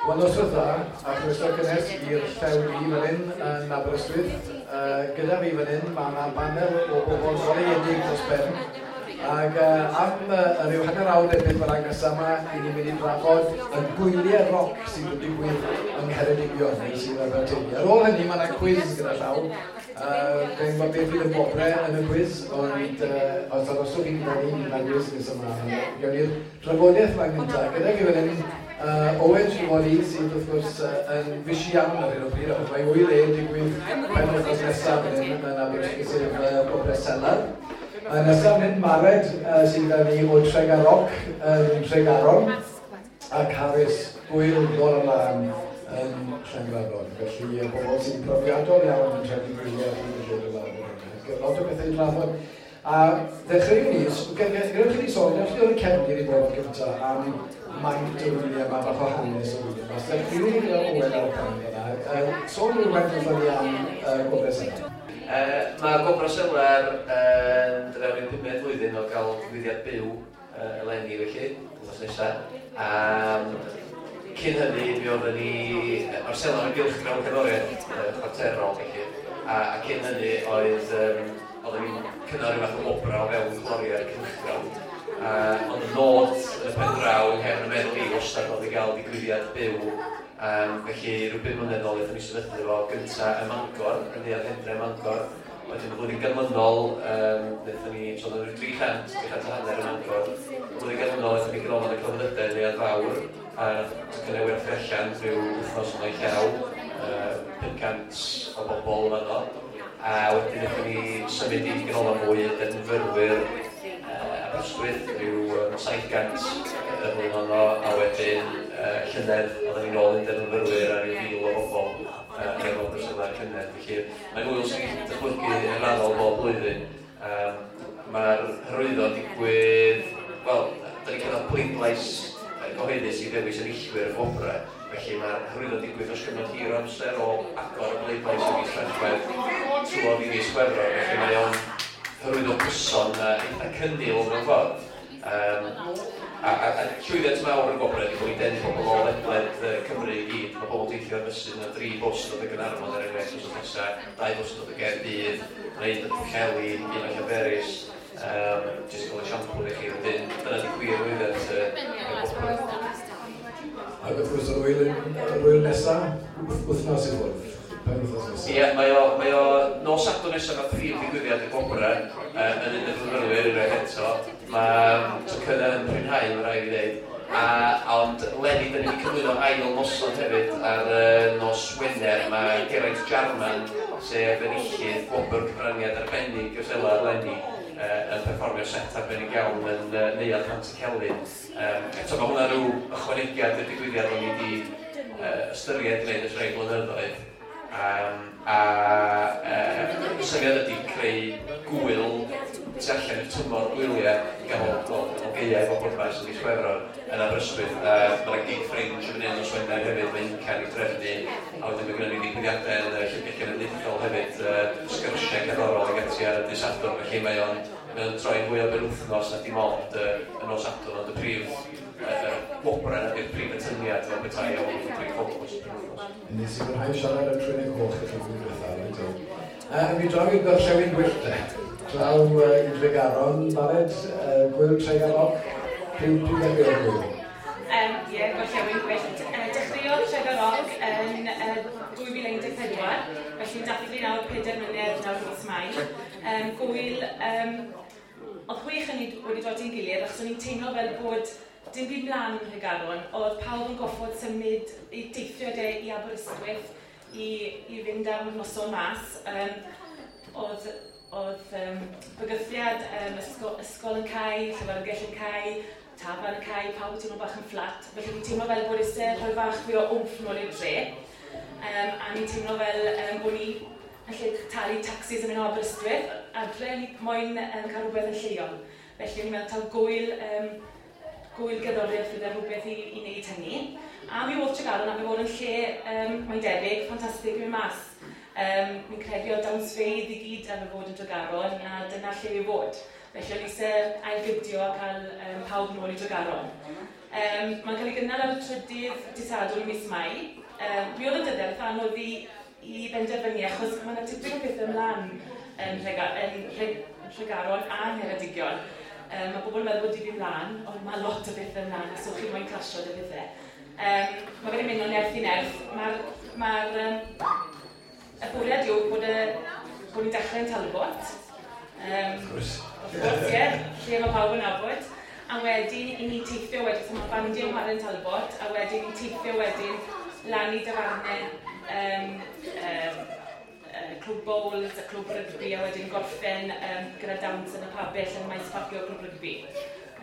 Wel, noswaith dda, a chroeso cynnes i'r Llew Du fan hyn yn Aberystwyth. Gyda fi fan hyn, mae yna banel o bobl goleuedig dros ben. Ac am rhyw hanner awr neu beth bynnag nesaf yma, i ni'n mynd i drafod y gwyliau roc sydd wedi digwydd yng Ngheredigion, neu sydd Aberteifi. Ar ôl hynny, mae yna cwiz gyda llaw. Fe'n gwybod beth fydd y gwobrau yn y cwiz, ond os arhoswch chi gyda ni, bydd yna gwis nes ymlaen. Gawn ni'r drafodaeth yma gyntaf. Gyda fi fan hyn, Owen Trelawney, sydd wrth gwrs yn fishi iawn ar hyn o bryd, achos mae ŵyl e'n digwydd penwythnos nesaf fan hyn yn Aberystwyth, sef Gwobrau Selar. Nesaf fan hyn, Mared, sydd gyda ni o Tregaroc yn Tregaron, a Carys, Gŵyl Dolan Lân yn Llangrannog. Felly, y bobl sy'n profiadol iawn yn trefnu gwyliau ar hyd y lled y wlad yn hynny. Lot o bethau i drafod. A ddechreuwn ni, gadewch i ni sôn, gadewch i ni o'r cefndir i bod yn gyntaf am maint y wyliau yma, bach o hanes y wyliau yma. So ddechreuwn ni gyda Owen ar y pen fyna. Sôn rhywfaint wrthon ni am Gwobrau Selar. Mae Gwobrau Selar yn dod fewn i'r pumed flwyddyn o gael digwyddiad byw eleni felly, wythnos nesaf. Cyn hynny, mi oedden ni... Mae'r Selar yn gylchgrawn cerddoriaeth chwarterol felly, a cyn hynny oedd oedden ni'n cynnal rhyw fath o wobrau o fewn cloriau'r cylchgrawn. Ond y nod yn y pen draw yng nghefn y meddwl i wastad oedd i gael digwyddiad byw. Felly rhyw 5 mlynedd nôl aethon ni sefydlu fo gynta ym Mangor, yn Neuadd Hendre ym Mangor. Wedyn y flwyddyn ganlynol, wnaethon ni, so oedd rhyw 300, 300 a hanner ym Mangor. Y flwyddyn ganlynol aethon ni Ganolfan y Celfyddydau yn Neuadd Fawr, a nath tocynnau werthu allan rhyw wythnos ymlaen llaw, 500 o bobl yn fanno. A wedyn wnaethon ni symud i ganolfan fwy y defnyddwyr Aberystwyth, rhyw 700 y flwyddyn honno, a wedyn llynedd oedden ni'n ôl i'n defnyddwyr a rhyw 1,000 o bobl efo Brysylau'r llynedd. Felly mae'n ŵyl sy'n dychmygu yn raddol bob blwyddyn. Mae'r hyrwyddo yn digwydd, wel, da ni'n cynnal pleidlais gyhoeddus i ddewis enillwyr y gwobrau, felly mae'r hyrwyddo'n digwydd dros gyfnod hir o amser o agor y bleidlais ym mis Tachwedd trwodd i fis Chwefror, felly mae o'n hyrwyddo cyson a eitha cynnil mewn ffordd. A llwyddiant mawr y gwobrau ydy bod ni'n denu pobl o ledled Cymru i gyd. Mae pobl yn teithio ar fysydd, mae 'na dri bws yn dod o Gaernarfon er enghraifft wythnos nesa, dau bws yn dod o Gaerdydd, mae un yn dod o Pwllheli, un o Llanberis. Jyst i gael esiampl i chi, wedyn dyna 'di gwir lwyddiant y gwobrau. Ac wrth gwrs yr ŵyl yr ŵyl nesa, wythnos i ffwrdd, penwythnos nesa. Ie, mae o nos Sadwrn nesaf mae prif ddigwyddiad y gwobrau yn Undeb y Myfyrwyr unwaith eto. Mae tocynnau yn prinhau, mae'n rhaid i ddeud. Ond leni, da ni wedi cyflwyno ail noson hefyd ar nos Wener. Mae Geraint Jarman, sef enillydd gwobr cyfraniad arbennig y Selar leni, yn perfformio set arbennig iawn yn Neuadd Pantycelyn. Eto, mae hwnna rhyw ychwanegiad i'r digwyddiad o'n i wedi ystyried gwneud ers rhai blynyddoedd. A y syniad ydy creu gŵyl tu allan i'r tymor gwyliau i ganol, wel, ganol gaeaf o bwrpas yn mis Chwefror yn Aberystwyth. Mae yna gig Fringe yn fan hyn nos Wener hefyd, mae Incan i drefnu, a wedyn mae gennym ni ddigwyddiadau yn y Llyfrgell Genedlaethol hefyd, sgyrsiau cerddorol ag ati ar y dydd Sadwrn, felly mae o'n troi'n fwy o benwythnos na dim ond y nos Sadwrn, ond y prif gwobrau ydy'r prif atyniad fel petai o y prif ffocws y penwythnos. Nes i fwynhau siarad am Trwynau Coch i chi flwyddyn diwethaf, reit o. Mi draw i'r Gorllewin Gwyllt, te. Draw i Dregaron, Mared, Gŵyl Tregaroc, pryd ddechreuodd gŵyl? Ie, Gorllewin Gwyllt. Dechreuodd Tregaroc yn 2014, felly dathlu nawr 4 mlynedd nawr mis Mai. Gŵyl, oedd chwech yn ni wedi dod i'n gilydd, achos o'n i'n teimlo fel bod dim byd mlaen yn Nhregaron. Oedd pawb yn goffod symud i deithio de i Aberystwyth i fynd am noson mas. Oedd bygythiad ysgol yn cau, llyfrgell yn cau, tafarn yn cau, pawb yn teimlo bach yn fflat. Felly ni'n teimlo fel bod eisiau rhoi fach fwy o wmff nôl i'r dre. A ni'n teimlo fel bod ni yn lle talu taxis yn mynd o Aberystwyth, adre ni moyn cael rhywbeth yn lleol. Felly ni'n meddwl taw gŵyl gerddoriaeth fydde rhywbeth i wneud hynny. A mi oedd Tregaron am ei fod yn lle, mae'n debyg, ffantastig i mynd mas. Mi'n credu oedd dawnsfeydd i gyd am ei fod yn Tregaron, a dyna lle i fod. Felly o'n i eisiau ailgydio a cael pawb nôl i Tregaron. Mae'n cael ei gynnal ar y trydydd dydd Sadwrn mis Mai. Mi oedd y dyddiad eitha anodd i benderfynu, achos mae yna tipyn o pethau ymlaen yn Nhregaron a Ngheredigion. Mae bobl yn meddwl bod dim ymlaen, ond mae lot o bethau ymlaen, so chi moyn clasio dy bethau. Mae fe'n mynd o nerth i nerth. Y bwriad yw bod ni'n dechrau yn Talbot. Wrth gwrs. Wrth gwrs, ie, lle mae pawb yn nabod. A wedyn i ni teithio wedyn, so mae bandiau yn chwarae yn Talbot, a wedyn i teithio wedyn lan i dafarnau, clwb bowls, y clwb rygbi, a wedyn gorffen gyda dawns yn y pabell yn maes parcio clwb rygbi.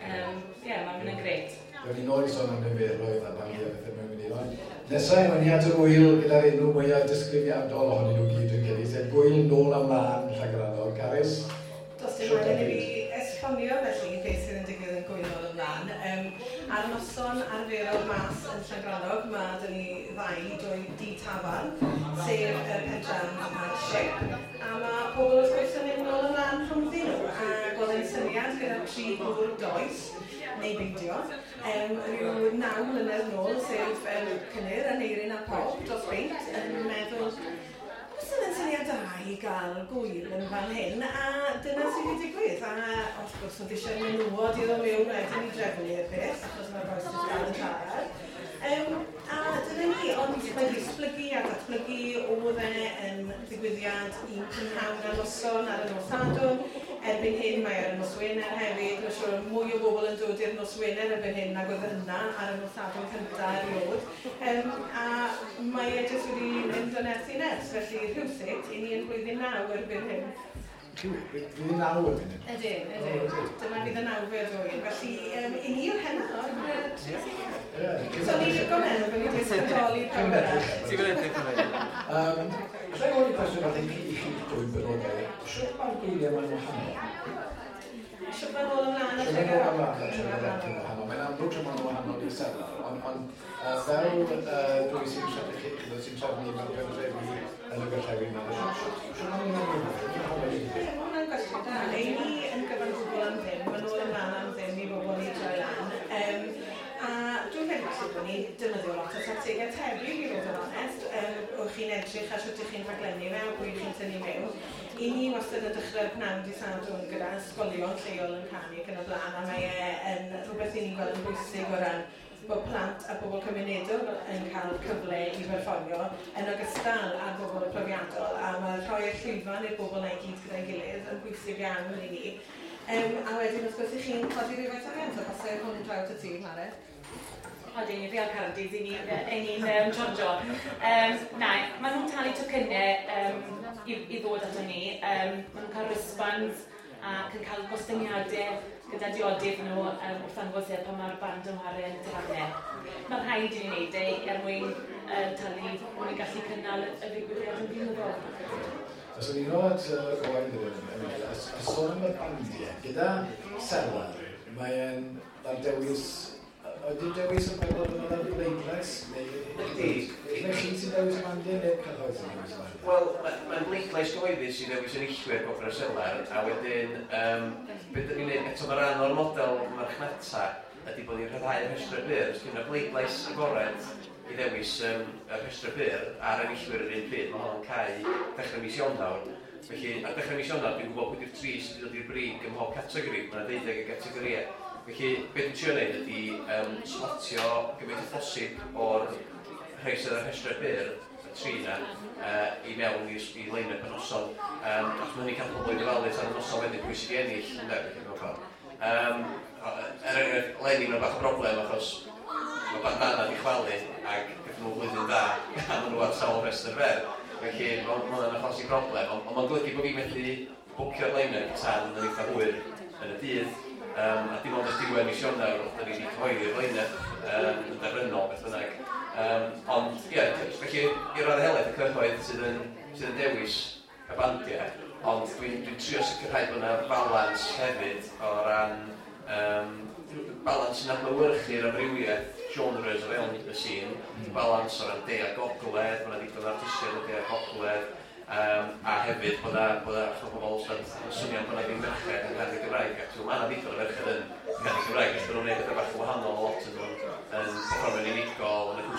Ie, mae'n mynd yn grêt. Rwy'n ni'n ôl i sôn am niferoedd a bandiau bethau mewn mynd i ddod. Nesaf, mae'n ni at yr wyl gyda'r enw mwyaf disgrifiadol ohonyn nhw gyd yn credu, sef Gwyl Nôl a Mlaen Llangrannog. Carys? Does dim angen i fi esbonio felly beth sydd yn digwydd yn Gwyl Nôl Ymlaen. Ar noson arferol mas yn Llangrannog, mae dyn ni ddau drwy di tafarn, sef y Pentrand a'r Ship. A mae pobl wrth gwrs yn mynd nôl ymlaen rhwngddyn nhw. Ac oedd e'n syniad gyda tri gŵr does, neu beidio, rhyw 9 mlynedd nôl, sef Cynnyr, Aneirin a Pob dros beint, yn meddwl, oes yna'n syniad da i gael gwyl yn fan hyn, a dyna sydd wedi digwydd. A wrth gwrs, oedd eisiau menywod i ddod mewn wedyn i drefnu'r peth, achos mae'r bois jyst dal yn siarad. A dyna ni, ond mae wedi esblygu a datblygu, oedd e yn ddigwyddiad un prynhawn a noson ar y nos Sadwrn. Erbyn hyn mae ar y nos Wener hefyd, mae'n siŵr mwy o bobl yn dod i'r nos Wener erbyn hyn nag oedd yna ar y nos Sadwrn cyntaf erioed. A mae e jyst wedi mynd o nerth i nerth, felly rhywsut, i ni yn blwyddyn 9 erbyn hyn. Chi, blwyddyn 9 erbyn hyn? Ydyn, ydyn. Dyma fydd y nawfed oed. Felly, i ni yw'r hena o'r tri. So ni'n licio meddwl bod ni wedi ysbrydoli pawb arall. Ti'n gwneud edrych yn ei. Alla i gofyn cwestiwn bach i chi dwy benodau. Sut mae'r gwyliau ma'n wahanol? Sut mae'n ôl ymlaen a Sut mae'n ôl ymlaen a Tregaron wahanol? Mae'n amlwg sut mae'n wahanol i'r selar, ond fel dwy sy'n trefnu, sy'n trefnu fel pentrefi yn y gorllewin, sut mae'n wahanol? Mae hwnna'n gwestiwn da. Ei ni yn gyfan gwbl am ddim, mae'n ôl ymlaen am ddim i bobl i droi lan. A dwi'n credu falle bod ni'n defnyddio lot o tactegau tebyg i fod yn onest. O'ch chi'n edrych ar sut ych chi'n rhaglennu fe, a pwy chi'n tynnu mewn. I ni wastad yn dechrau'r pnawn dydd Sadwrn gyda ysgolion lleol yn canu ac yn y blaen, a mae e yn rhywbeth i ni'n gweld yn bwysig o ran bod plant a bobl cymunedol yn cael cyfle i berfformio yn ogystal â'r bobl profiadol, a mae rhoi'r llwyfan i'r bobl na'i gyd gyda'i gilydd yn bwysig iawn i ni. A wedyn wrth gwrs i chi'n codi rhywfaint o arian, so falle hwn draw at y tîm, Mare. Odyn, i real Cardiff, i ni'n charjo. Na, maen nhw'n talu tocynnau i ddod ato ni. Maen nhw'n cael wristbands ac yn cael gostyngiadau gyda diodydd nhw wrth ddangos e pan mae'r band yn chwarae yn y tafarnau. Mae'n rhaid i ni wneud e er mwyn talu mwyn gallu cynnal y ddigwyddiad yn flynyddol. Os o'n i'n ôl at Owain ddyn, a sôn am y bandiau, gyda selar, mae'n dewis. Ydy'r dewis yn meddwl bod yna'n bleidlais? Ydy. Neu chi sy'n dewis y bandiau neu'r cyhoedd sy'n dewis y bandiau? Wel, mae'n bleidlais gyhoeddus sy'n dewis enillwyr Gwobrau Selar, a wedyn, beth ydyn ni'n gwneud eto, mae rhan o'r model marchnata ydy bod ni'n rhyddhau'r rhestrau byr. Os dwi'n bleidlais agored i ddewis y rhestrau byr a'r enillwyr yr un pryd, mae hon yn cau dechrau mis Ionawr. Felly, ar dechrau mis Ionawr, dwi'n gwybod pwy di'r tri sydd wedi dod i'r brig ym mhob categori. Mae yna 12 o gategorïau. Felly, beth dwi'n trio wneud ydy slotio gymaint o phosib o'r rhai sydd ar rhestrau byr, y tri yna, i mewn i line-up y noson. Achos mae hynny'n cael pobl i dyfalu tan y noson wedyn pwy sydd wedi ennill, ynde, felly mewn ffordd. Er enghraifft, leni mae'n bach o broblem achos mae Bandana wedi chwalu ac gathon nhw flwyddyn dda a maen nhw ar sawl rhestr fer. Felly, mae hwnna'n achosi broblem, ond mae'n golygu bod fi methu bwcio'r line-up tan yn eitha hwyr yn y dydd. A dim ond ers diwedd mis Ionawr, da ni wedi cyhoeddi'r line-up yn derfynol, beth bynnag. Ond, ie, felly, i raddau helaeth y cyhoedd sydd yn dewis y bandiau, ond dwi'n trio sicrhau bod yna balans hefyd o ran balans sy'n adlewyrchu'r amrywiaeth genres o fewn y sîn, balans o ran de a gogledd, mae yna ddigon o artistiaid o de a gogledd, A hefyd bod 'na, bod 'na, achos ma' pobl wastad yn swnio bod 'na ddim merched yn canu Gymraeg, ac ma' 'na ddigon o ferched yn canu Cymraeg, jyst bod nhw'n gwneud pethau bach yn wahanol, lot yn nhw'n yn perfformio'n unigol, yn